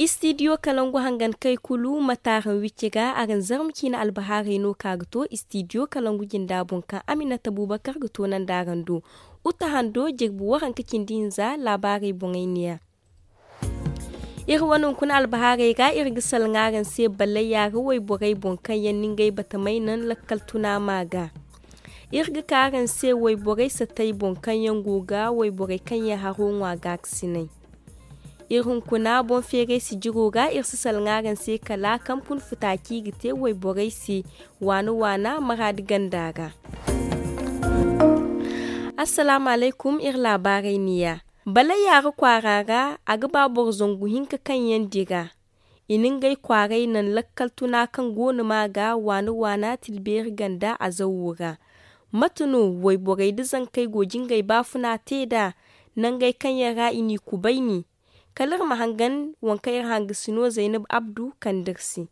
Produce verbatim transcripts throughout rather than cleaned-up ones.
Istidiyo kalangu hangan kay kulu ma taaran wicce ga araŋ zarma ciina albahaarey no ka ga to istidiyo kalangu jinda boŋ kaŋ aminata buubakar ga toonandi araŋ do. Uta hando jirbi waranka cindi hinza laabaarey boŋey neeya. Iri wane hunkuna albahaarey ra iri ga salaŋ araŋ se ballayya ra wayborey boŋ kaŋ yaŋ na ngey batamey naŋ lakkal tuna ma ga. Iri ga ka araŋ se wayborey satay boŋ kaŋ yaŋ go ga wayborey kaŋ yaŋ haro ŋwa gaakasinay. Iri hunkuna boŋ feeray sijiro ga iri si salaŋ araŋ se kala kampun futa kaŋ i ga te wayborey se waana waana maraadi ganda ra. Assalaamu alaykum, iri laabaarey neeya. Balay yaara kwaara ra a ga ba boro zangu hinka kaŋ yaŋ dira. I na ngey kwaaray naŋ lakkal tuna kaŋ go no ma ga waana waana tilbeeri ganda a zawo ra. Mate no wayborey da zankey go jingay baafuna te nd'a nangey kaŋ yaŋ ra i n'i kubayni? Kala iri ma hangan waŋ kaŋ iri hangasino zaynab abdu kande iri se.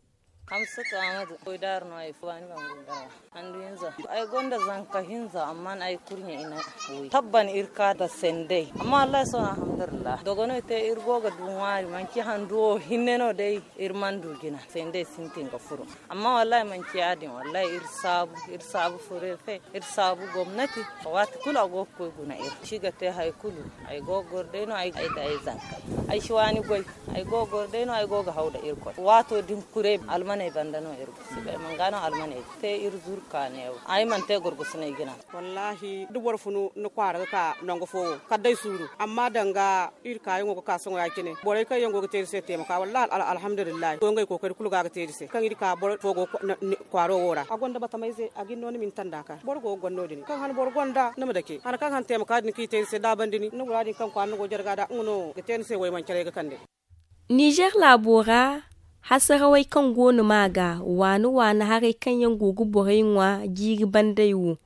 Hamsatu ahmadu koy daaru no ay fo baani bangu gara handu hinza. Ay gonda zanka hinza amma ay kurɲe i na woy tabban iri ka da sendey. Amma wallahi sohõ alhamdulillah dogoney te iri go ga du ŋwaari manci handu wo hinne no day. Iri mana du jina sendey sintin ga furo. Amma wallahi manci ya- din wallahi iri saabu iri saabu furo iri se. Iri saabu gomnati waati kulu a go ga koy guna iri si ga te hari kulu. Ay go ga goro day no ay da ay zankey ay si waani goy. Ay go ga goro day no ay go ga haw da irkoy waato din kuray almaney banda no iri go si bay man ga no almaney te iri zuru ka neewo. Ay mana te gorgosinay jina. Wallahi da boro funu ni kwaara ga ka nangu fo wo kala day suuru amma danga iri kaayaŋo ga ka sohõ ya- cine borey kaŋ yaŋ go ga te iri se teemaka wallahi alhamdulillahi go ngey kookari kulu ga ga te iri se kaŋ iri ka boro fo go kwaaro wo ra a gonda batamey ze a ga ni no ni ma ni tanda ka boro go ga goro no- din kaŋ han boro gonda ni ma dake han kaŋ han teemaka din kaŋ i te iri se da a banda ni ni gura din kaŋ kwaara ni go jare ga da nga no ga te ni se waymancarey ga kande. Nizer laabo ra hasarawey kaŋ go no ma ga waana waana haray kaŋ yaŋ go ga borey ŋwa jiiri bandey wo.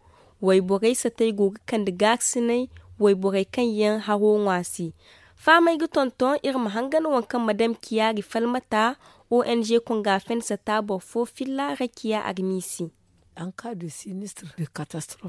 Wayborey satey go ga kande gaakasinay. Wayborey kaŋ yaŋ haro ŋwa se fahamey ga tonton iri ma hangan waŋ kaŋ madam kiyaari falmata ong konga fen sata boro fo filla rakiya armiisi.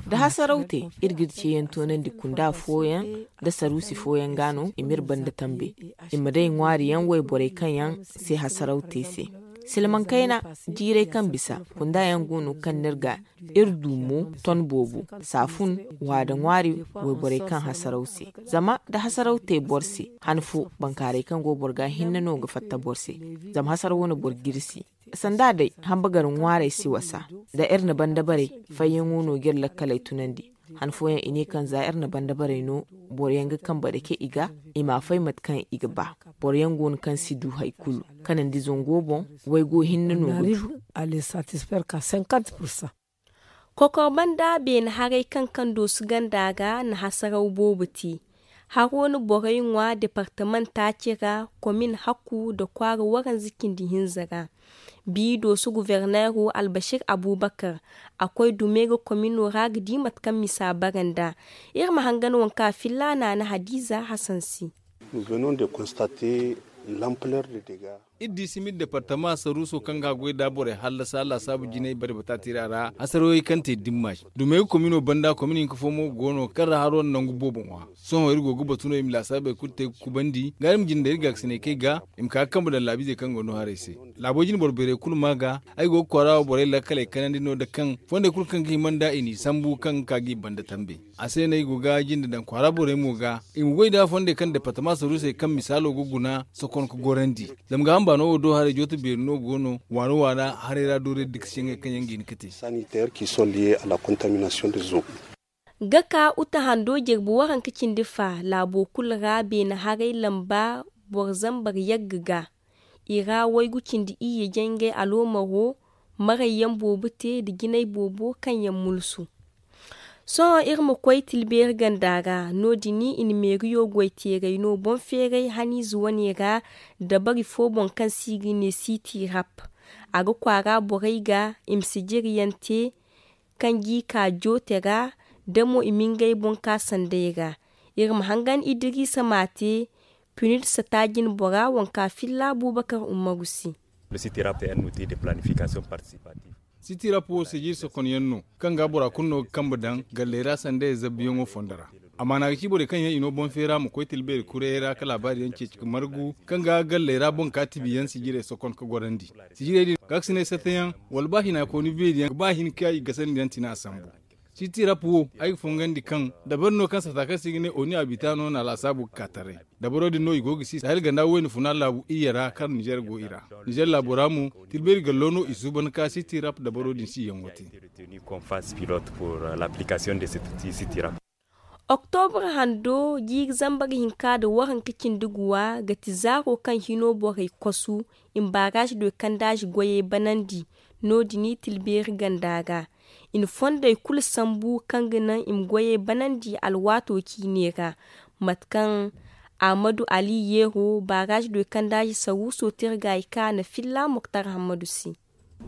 Da hasaraw te iri ga iri ceeyaŋ toonandi kunda fooyaŋ nda saruusi fooyaŋ ga no i m'iri banda tambe. I ma day ŋwaari yaŋ wayborey kaŋ yaŋ se hasaraw te se. Silmaŋ kayna jiirey kaŋ bisa kunda yaŋ go no kaŋ n'iri ga iri du mo ton boobo saafun waada ŋwaari wayborey kaŋ hasaraw se. Zama da hasaraw te boro se han fo bankaarey kaŋ go boro ga hinne no ga fatta boro se. Zama hasaraw wane boro g'iri se sanda day hamba gar ŋwaarey si wasa. Da iri na banda barey fayyaŋo no g'iri lakkaley tunandi. Han fooyaŋ i ne kaŋ za iri na banda barey no boro yaŋ ga kambe dake i ga i ma fay mate kaŋ i ga ba. Boro yaŋ go no kaŋ si du hari kulu kanandi zango boŋ. Waygo hinne no ga du. Kokor banda beene haray kaŋ kaŋ doosu ganda ga na hasaraw boobo te. Haro na borey ŋwa departament taaci ra komin hakku nda kwaara waranza cindi hinza ra. Bi doosu guverneero albasir abubakar a koy dume ga komino ra ga di mate kaŋ misa bara nd'a. Iri ma hangan waŋ kaŋ a filla naana hadiiza hasan se. Iri di simir departama saruuso kaŋ ga a goy nd'a borey hallasa laasaabu jinay bare bataatira ra hasarawey kaŋ te dimma se dumey ga komino banda komin hinka fo mo go no kaŋ ra haro na nangu boobo ŋwa. Sohõ iri go ga batu no i ma laasaabey kulu te ga kubandi ga iri ma jinde iri gaakasinay kay ga i ma ka ga kambe daŋ laabiizey kaŋ go no haray se. Laabo jine boro beerey kulu ma ga ay go ga kwaara wo borey lakkaley kanandi no nda kaŋ fondey kulu kaŋ ga hima nd'a i n'i sambu kaŋ ga ka g'i banda tambe. A se no ay go ga jinde daŋ kwaara borey mo ga i ma goy nd'a fondey kaŋ departama saruusey kaŋ misaalo ga guna sokon ga gorandi. Zama gaaham baano wo do haray jooto beeri no go no waana waana haray ra doorey dikasiyaŋey kaŋ yaŋ ga hin ga te. Ga ka uta hando jirbi waranka cindi fa laabo kulu ra beene haray lamba boro zambar yagga ga. I ra waygu cindi iyye jangey aloomaro marayyaŋ boobo te nda jinay boobo kaŋ yaŋ mulsu. Sohõ iri ma koy tilbeeri ganda ra no- din i na meeriyo goy teeray no boŋ feeray haniize wane ra dabari fo boŋ kaŋ se i ga ne siti rap. A ga kwaara borey ga i ma sijiriyaŋ te kaŋ g'i ka joote ra da mo i ma ngey boŋ ka sanday ra. Iri ma hangan idiriisa ma te pinid sata jine bora waŋ ka filla buubakar ummaru se. Siti rap wo se jiri sokonyaŋ no kaŋ ga bora kulu no ga kambe daŋ galley ra sanday zabbiyaŋo fondo ra. Amma na ga ci borey kaŋ yaŋ i no boŋ feera ma koy tilbeeri kurayey ra ka laabaari yaŋ ceeci ka margu kaŋ ga galley ra boŋ ka tibi yaŋ sijirey sokon ka gorandi. Sijirey din ga ga si ne satta yaŋ wala ba hina kooni beeri yaŋ ga ba hin ka i gasandi yaŋ tina a sambu. Siti rap wo ay ga fongandi kaŋ dabari no kaŋ sata kaŋ se i ga ne oni abita no na laasaabu ga ka taray. Dabaro din no i go ga si sahel ganda wayna funa laabu iyye ra kaŋ nizer go i ra. Nizer laabo ra mo, tilbeeri gallo no i suuban ka siti rap dabaro din si yaŋo te. Oktobra hando jiiri zambar hinka nda waranka cindi guwa ga ti zaaro kaŋ hino borey kosu i ma baaraaz doy kandaazi goyey banandi. No- din i tilbeeri ganda ga i na fondey kulu sambu kaŋ ga naŋ i ma goyey banandi alwaato ciine ra. Mate kaŋ ahmadu ali yeero baaraaz doy kandaazi saruuso te iri ga i ka na filla moktar hammadu se.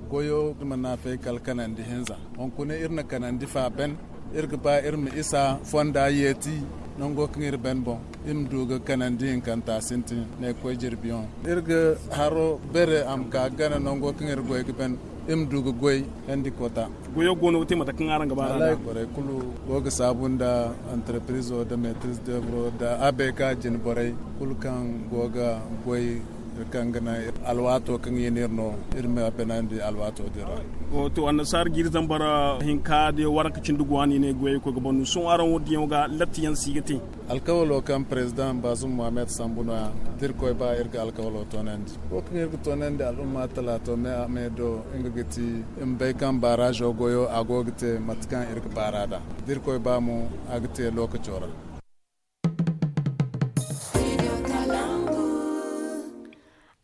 Goyo iri ma naafay kala kanandi hinza. Hunkuna iri na kanandi fa ben. Iri ga ba iri ma isa fonda yeeti nango kaŋ iri ben boŋ. Iri ma du ga kanandi hinkanta sintin ne ga koy jirbiyoŋ. Iri ga haro bere a ma ka gana nango kaŋ iri goy ga ben. Iri ma du ga goy hendi kota. Goyo go no ga te mate kaŋ araŋ ga ba ra borey kulu go ga saabu nda antarpirizo nda metris devro nda abeka jine borey kulu kaŋ go ga goy. Iri kaŋ ga naŋ alwaato kaŋ i n'iri no iri ma beenandi alwaato din ra. To annasaara jiiri zambar hinka da waranka cindi guwa no i ne goyey koy ga ban no sohõ araŋ wo diyaŋo ga latti yaŋ si ga te. Alkawalo kaŋ parezidaŋ baazum muhammed sambu no- ya da iri koy ba iri ga alkawalo toonandi wo kaŋ iri ga toonandi al'umma talaato me a me do nga ga ti i ma bay kaŋ baaraazo goyo a go ga te mate kaŋ iri ga baar'a nd'a da iri koy ba mo a ga te lookaco ra.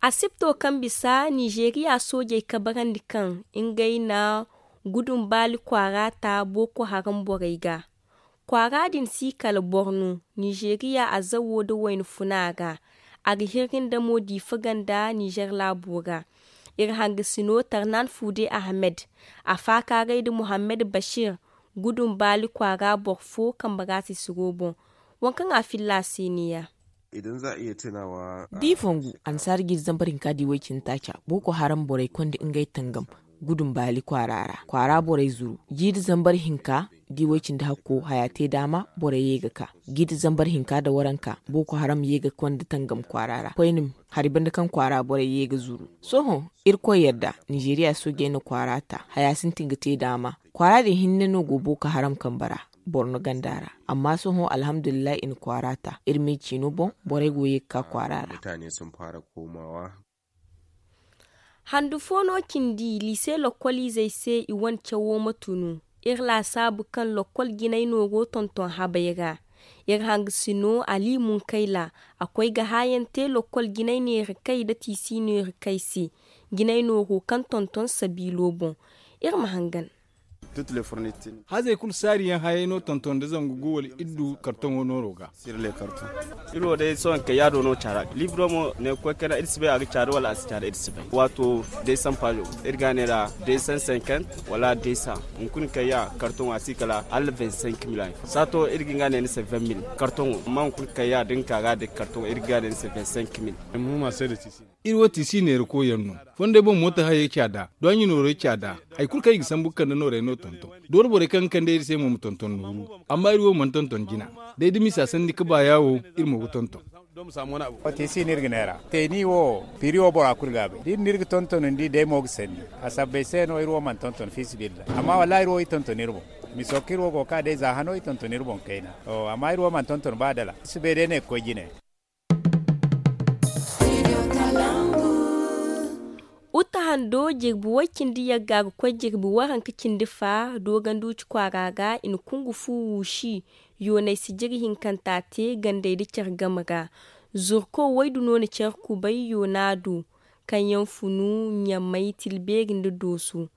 Asibto kaŋ bisa nizeeriya soojey kabarandi kaŋ ngey na gudun baali kwaara ta booko haram borey ga. Kwaara din si kala borno nizeeriya azawo nda wayna funa ra. A ga hirri nda mo diifa ganda nizer laabo ra. Iri hangasino tarnan fuude ahmed. A faakaaray nda muhammed bashir gudun baali kwaara boro fo kambe ra sisiro boŋ. Waŋ kaŋ a filla a se ne- ya. Da i fongu annasaara jiiri zambar hinka da i way-cindi taaca booko haram borey konda ngey tangam gudun baali kwaara ra kwaara borey zuru jiiri zambar hinka da i way-cindi hakko haya te daama borey ye ga ka. Jiiri zambar hinka nda waranka booko haram ye ga konda tangam kwaara ra koyne hari banda kaŋ kwaara borey ye ga zuru. Sohõ irkoy yadda nizeeriya soojey na kwaara ta haya sintin ga te daama. Kwaara din hinne no go booko haram kambe ra borno ganda ra. Amma sohõ alhamdulillahi i na kwaara ta iri me ciino boŋ borey go ye ga ka kwaara ra. Handu fo no cindi liise lokkoliizey se i wane cawo ma tunu. Iri laasaabu kaŋ lokkol jinay nooro tonton habay ra. Iri hangasino ali munkayla a koy ga haayaŋ te lokkol jinay neera kay nda tiisi neera kay se. Jinay nooro kaŋ tonton sabiilo boŋ. Iri ma hangan. Hazey kulu saari yaŋ hayey no tonton nda zangu gu wala iddu kartoŋo nooro ga. Iri wo day sohõ kay yaado no caara libro mo ne ga koy kayna iri si bay a ga caari wala a si caari iri si bay. Waato day sampaajo iri ga a ne ra day san sankant wala day san. Hunkuna kay ya kartoŋo a si kala hala vingt cinq mil. Saato iri ga nga ne ni se vingt mil kartoŋo amma hunkuna kay ya da ni ka ga day kartoŋo iri ga nga ne ni se vingt cinq mil. Iri wo tiisi neera koyyaŋ no. Fondey boŋ moota hayey caada duwaaɲi noorey caada. Hari kulu kaŋ i ga sambu ga kande noorey no tonton. Dooro borey kaŋ ga kande iri se mo ma tonton nooru. Amma iri wo mana tonton jina. Day da misa sanni ka baaya wo iri mo ga tonton. Tiisi no iri ga neera teeni wo. Piri wo bora kulu ga a bay da iri no iri ga tonton ni di day mo ga sanni. A sabbay se no iri wo mana tonton fiisabilillahi amma wallaahi iri wo i tonton iri boŋ. Miso kaŋ iri wo go ga ka day za hano i tonton iri boŋ kayna. Amma iri wo mana tonton ba dala iri si bay day ne ga koy jine. Uta hando jirbi way cindi yagga ga koy jirbi waranka cindi fa doganduci kwaara ga i na kungu fu wuusi. Yoonay sijiri hinkanta te gandey nda care game ra. Zurko waydu no na care kubay yoona do kaŋ yaŋ funu ɲamay tilbeeri nda doosu.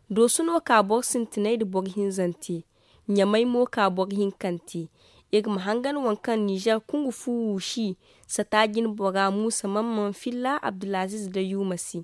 Doosu no ka boro sintinay nda boro hinzante. Ɲamay mo ka boro hinkante. Iri ma hangan waŋ kaŋ nizer kungu fu wuusi sata jine bora muusa mamman filla abdulaziz da yuuma se.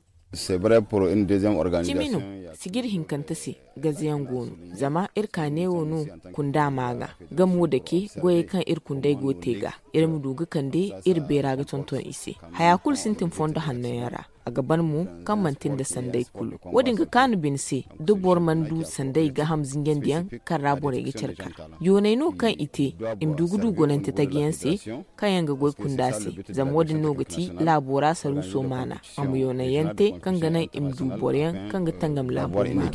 Cimi no sijiri hinkante se gazayaŋ go no. Zama iri ka neewo no kunda ma ga. Gamo dake goyey kaŋ iri kundey go te ga iri ma du ga kande iri beera ga tonton i se. Haya kulu sintin fondo hanno yaŋ ra. A ga ban mo kaŋ manti nda sanday kulu. Wo- din ga kaanu bine se da boro mana du sanday gaaham zinjandiyaŋ kaŋ ra borey ga care kar. Yooney no kaŋ i te i ma du ga du gonante taji yaŋ se, kaŋ yaŋ ga goy kunda se. Zama wo- din no ga ti laabo ra saruuso maana, a ma yoonay yaŋ te kaŋ ga naŋ i ma du boro yaŋ kaŋ ga tangam laabo maana.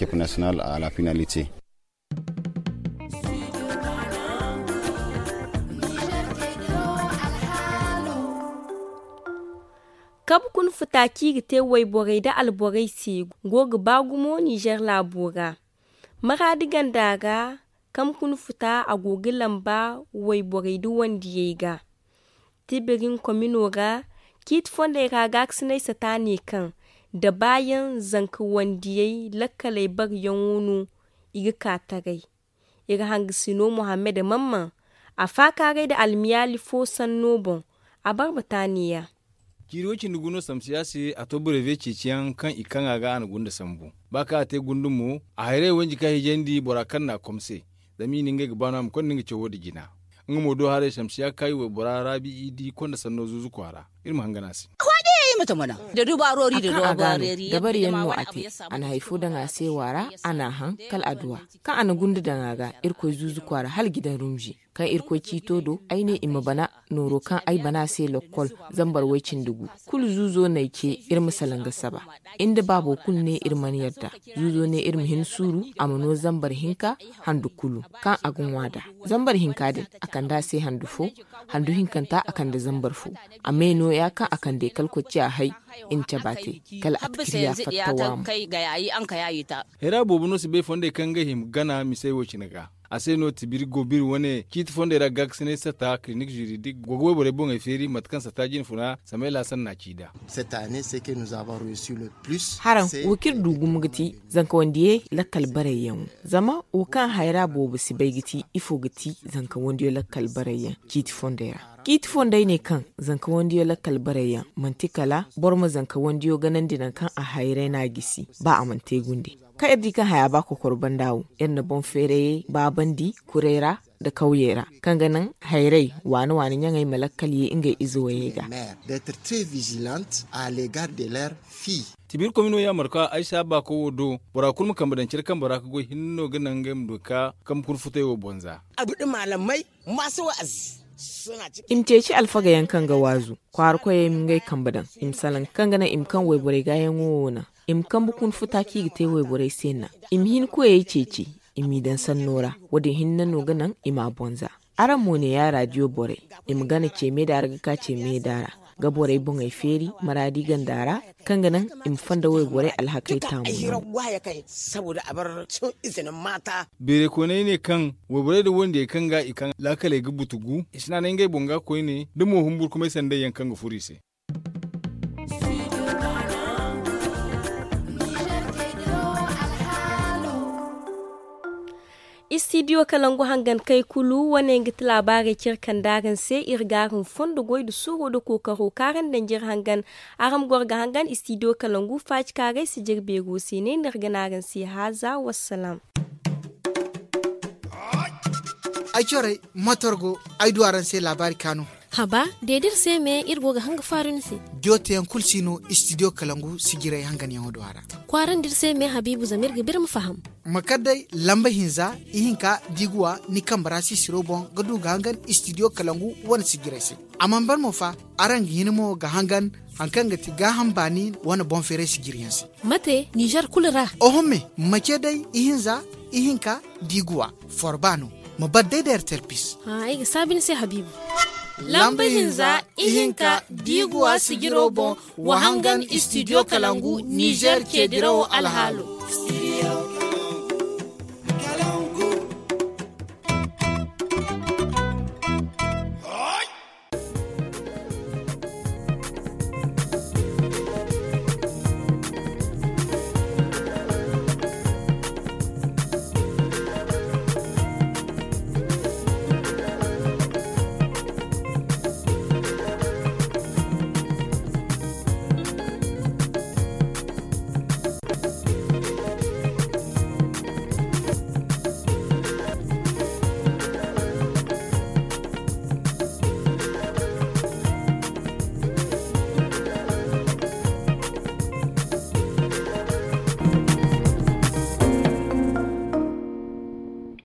Kabu kuna futa kaŋ i ga te wayborey nda alborey se go ga ba gumo ninzeer laabo ra. Maraadi ganda ra, kabu kuna futa a go ga lamba wayborey nda wandiyey ga. Tibirin komino ra, ciiti fondey ra gaakasinay sata ne kaŋ da baayaŋ zanka wandiyey lakkaley bareyaŋo no i ga ka taray. Iri hangasino muhammad mamman a faakaaray nda almiyaali fo sanno boŋ. A barbata neeya. Ciiri way cindi gu no samsiya se a to bureve ceeciyaŋ kaŋ i kaŋ a ga a na gunda sambu. Ba kaŋ a te gundu mo, a hayray wanji ka hijandi bora kaŋ na a kom se. Zama i na ngey ga baano a ma konda nga cawo nda jina. Nga mo do haray samsiya kaayi waybora raabi i di konda sanno zuuzu kwaara. Iri ma hangan a se. Dabariyaŋ no a te. A na hari fo daŋ a se waara, a na a haŋ kala adduwa. Kaŋ a na gunda daŋ a ga, irkoy zuuzu kwaara hala gidan rumzi. Kaŋ irkoy ciito do ay ne i ma bana nooro kaŋ ay bana se lokkol. Zambar way cindi gu kulu zuuzo n'ay ce. Iri ma salaŋ ga saba. Inda baabo kulu ne iri mana yadda. Zuuzo ne iri ma hin suuru, a ma no zambar hinka handu kulu. Kaŋ a ga ŋwa nd'a, zambar hinka din a kande a se handu fo. Handu hinkanta a kande zambar fo. A me nooya kaŋ a kande kala kocciya hay. I na cabe a te kala a takiriya fatta waamo. Hayra boobo no si bay fondey kaŋ ga hima gana misey wo cine ga. A se no tibiri go biri wane ciiti fondey ra gaakasinay sata kilinik ziridik go ga wayborey boŋey feeri mate kaŋ sata jinfuna samayla sanna ci nd'a. Haraŋ wo kaŋ iri du gumo ga ti zanka wandiyey lakkal barayyaŋo. Zama wo kaŋ hayra boobo si bay ga ti ifo ga ti zanka wandiyo lakkal barayyaŋ ciiti fondey ra. Ciiti fondey ne kaŋ zanka wandiyo lakkal barayyaŋ manti kala boro ma zanka wandiyo ganandi nangu kaŋ a hayray no a gisi ba a mana te gunde. Kaŋ iri di kaŋ haya ba kokoro banda wo, iri na boŋ feerayey baabandi kuray ra nda kawyey ra, kaŋ ga naŋ hayray waani waani ɲaŋey ma lakkal ye ngey ize wayey ga. Tibiri komino yaamarka ay si a baako wo do bora kulu ma kambe daŋ care kambe ra ga goy hinne no ga naŋ ngey ma du ga ka kambe kuna futay wo bonza. I ma ceeci alfagayaŋ kaŋ ga waazu kwaara koyey ma ngey kambe daŋ. I ma salaŋ kaŋ ga naŋ i ma kaŋ wayborey gaayaŋo wo naŋ. I ma kambe kuna futa kaŋ i ga te wayborey se naŋ. I ma hin koyey ceeci i m'i daŋ sanno ra. Wo- din hinne no ga naŋ i m'a bonza. Araŋ mo ne ya raadiyo borey, i ma gana ce meeda ra ga ka ce meeda ra ga borey boŋey feeri maraadi ganda ra, kaŋ ga naŋ i ma fonda wayborey alhakey taamu. Beeray kooney ne kaŋ wayborey nda wandiyey kaŋ ga i kaŋ laakaley ga butugu i si naanay ngey boŋ ga koyne nda mo humburkumay sanday yaŋ kaŋ ga furo i se. Istidiyo kalangu hangan kay kulu wane nga ti laabaarey care kaŋ da araŋ se iri ga araŋ fondo goy nda suuro nda kookaro kaŋ araŋ danji iri hangan. Araŋ ma goro ga hangan istidiyo kalangu faacikaaray si jire beero se ne no iri ga ne araŋ se haaza wassalaam. Ay corey matorgo ay du araŋ se laabaari kaanu. Haba, deedi iri se me iri go ga hanga faaru ni se. Diyo teyaŋ kulu si no istidiyo kalangu sijiray hanganyaŋo do a ra. Kwaarandi iri se me habiibu zama iri ga biri ma faham. Ma kar day lamba hinza ihinka diiguwa ni kambe ra sisiro boŋ ga du ga hangan istidiyo kalangu wane sijiray se. A mana ban mo fa, araŋ ga hin mo ga hangan hari kaŋ ga ti gaaham baani wane boŋ feeray sijiryaŋ se. Mate nizer kulu ra? Oho me, ma ce day ihinza ihinka diiguwa forba no. Ma bar day da ertel pis. Ay ga saabi ni se habiibu. Lamba hinza ihinka diiguwa sijiro boŋ wa hangan istidiyo kalangu nizer ce dirawo alhaalo.